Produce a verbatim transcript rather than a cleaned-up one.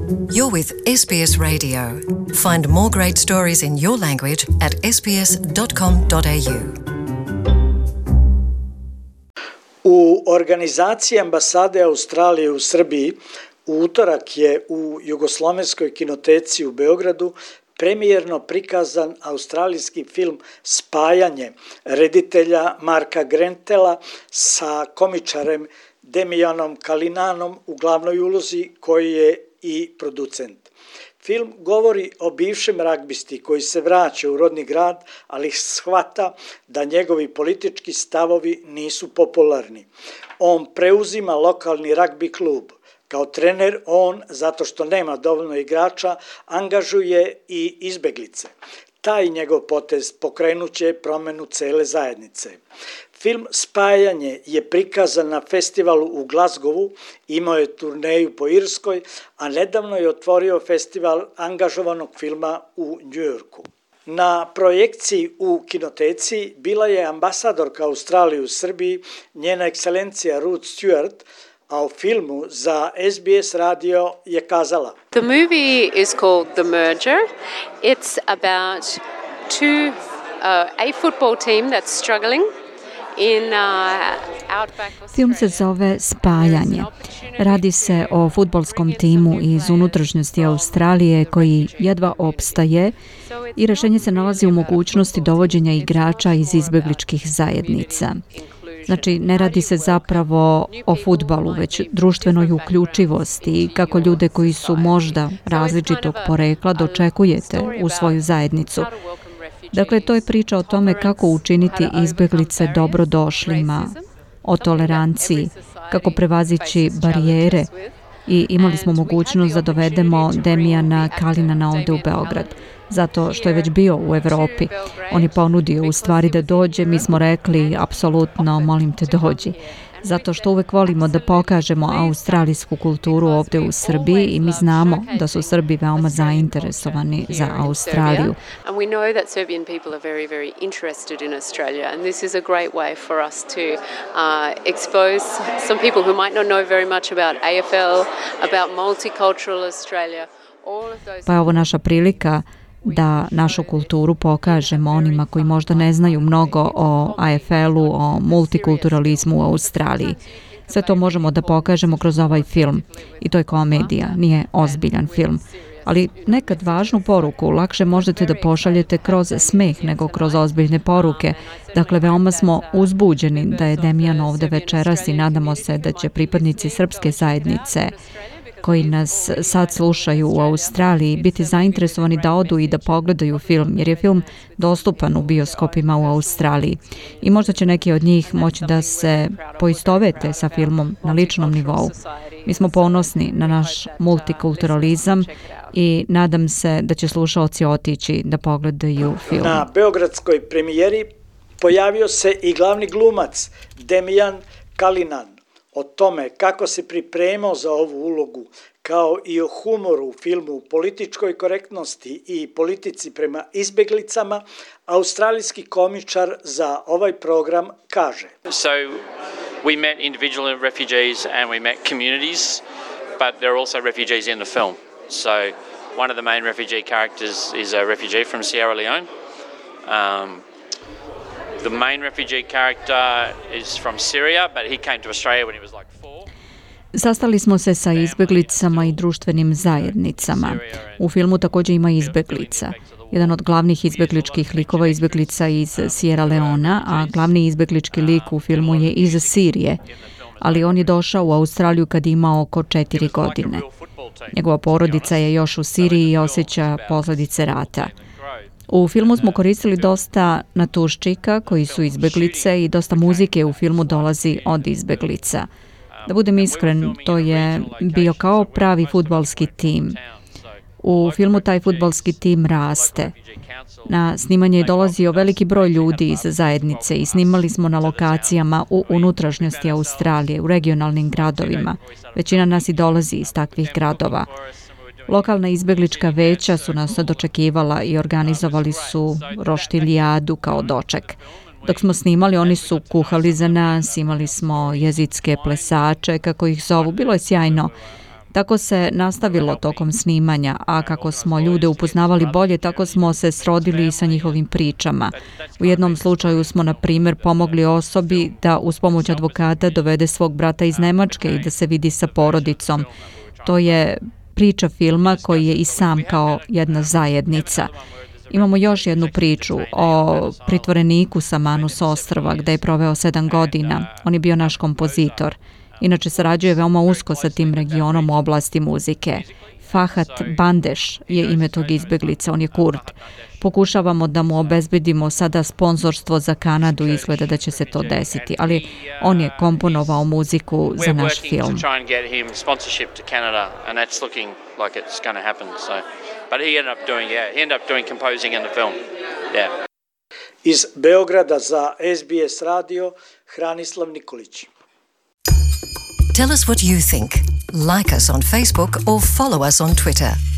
You're with S B S Radio. Find more great stories in your language at s b s dot com dot a u. U organizaciji ambasade Australije u Srbiji u utorak je u Jugoslovenskoj kinoteci u Beogradu premijerno prikazan australijski film Spajanje reditelja Marka Grentela sa komičarem Demijanom Kalinanom u glavnoj ulozi, koji je i producent. Film govori o bivšem ragbisti koji se vraća u rodni grad, ali shvata da njegovi politički stavovi nisu popularni. On preuzima lokalni ragbi klub. Kao trener on, zato što nema dovoljno igrača, angažuje i izbeglice. Taj njegov potez pokrenuće promenu cele zajednice. Film Spajanje je prikazan na festivalu u Glasgowu, imao je turneju po Irskoj, a nedavno je otvorio festival angažovanog filma u Njujorku. Na projekciji u kinoteci bila je ambasadorka Australije u Srbiji, njena ekscelencija Ruth Stewart, a u filmu za S B S radio je kazala: The movie is called The Merger. It's about two, uh, a football team that's struggling. Film se zove Spajanje. Radi se o fudbalskom timu iz unutrašnjosti Australije koji jedva opstaje i rješenje se nalazi u mogućnosti dovođenja igrača iz izbegličkih zajednica. Znači, ne radi se zapravo o fudbalu, već društvenoj uključivosti i kako ljude koji su možda različitog porekla dočekujete u svoju zajednicu. Dakle, to je priča o tome kako učiniti izbeglice dobrodošlima, o toleranciji, kako prevazići barijere, i imali smo mogućnost da dovedemo Demijana Kalinana ovdje u Beograd, zato što je već bio u Evropi. On je ponudio u stvari da dođe, mi smo rekli apsolutno molim te dođi. Zato što uvek volimo da pokažemo australijsku kulturu ovdje u Srbiji i mi znamo da su Srbi veoma zainteresovani za Australiju. And we know that Serbian people are very, very interested in Australia, and this is a great way for us to uh, expose some people who might not know very much about A F L, about multicultural Australia. Pa je ovo naša prilika da našu kulturu pokažemo onima koji možda ne znaju mnogo o A F L-u, o multikulturalizmu u Australiji. Sve to možemo da pokažemo kroz ovaj film. I to je komedija, nije ozbiljan film. Ali nekad važnu poruku lakše možete da pošaljete kroz smeh nego kroz ozbiljne poruke. Dakle, veoma smo uzbuđeni da je Demijan ovde večeras i nadamo se da će pripadnici srpske zajednice koji nas sad slušaju u Australiji biti zainteresovani da odu i da pogledaju film, jer je film dostupan u bioskopima u Australiji. I možda će neki od njih moći da se poistovete sa filmom na ličnom nivou. Mi smo ponosni na naš multikulturalizam i nadam se da će slušaoci otići da pogledaju film. Na beogradskoj premijeri pojavio se i glavni glumac Demijan Kalinan. O tome kako se pripremao za ovu ulogu, kao i o humoru u filmu, političkoj korektnosti i politici prema izbeglicama, australijski komičar za ovaj program kaže: So we met individual refugees and we met communities, but there are also refugees in the film. So one of the main refugee characters is a refugee from Sierra Leone. Um, The main refugee character is from Syria, but he came to Australia when he was like four. Sastali smo se sa izbeglicama i društvenim zajednicama. U filmu također ima izbeglica. Jedan od glavnih izbegličkih likova je izbeglica iz Sierra Leona, a glavni izbeglički lik u filmu je iz Sirije. Ali on je došao u Australiju kad ima oko četiri godine. Njegova porodica je još u Siriji i osjeća posljedice rata. U filmu smo koristili dosta natuščika koji su izbeglice i dosta muzike u filmu dolazi od izbeglica. Da budem iskren, to je bio kao pravi fudbalski tim. U filmu taj fudbalski tim raste. Na snimanje je dolazio veliki broj ljudi iz zajednice i snimali smo na lokacijama u unutrašnjosti Australije, u regionalnim gradovima. Većina nas i dolazi iz takvih gradova. Lokalna izbeglička veća su nas dočekivala i organizovali su roštiljadu kao doček. Dok smo snimali, oni su kuhali za nas, imali smo jezitske plesače, kako ih zovu, bilo je sjajno. Tako se nastavilo tokom snimanja, a kako smo ljude upoznavali bolje, tako smo se srodili i sa njihovim pričama. U jednom slučaju smo, na primjer, pomogli osobi da uz pomoć advokata dovede svog brata iz Nemačke i da se vidi sa porodicom. To je priča filma koji je i sam kao jedna zajednica. Imamo još jednu priču o pritvoreniku sa Manus ostrva gde je proveo sedam godina. On je bio naš kompozitor. Inače sarađuje veoma usko sa tim regionom u oblasti muzike. Fahat Bandeš je ime tog izbeglica, on je Kurd. Pokušavamo da mu obezbedimo sada sponzorstvo za Kanadu i izgleda da će se to desiti, ali on je komponovao muziku za naš film. Iz Beograda za S B S radio, Hranislav Nikolić. Tell us what you think. Like us on Facebook or follow us on Twitter.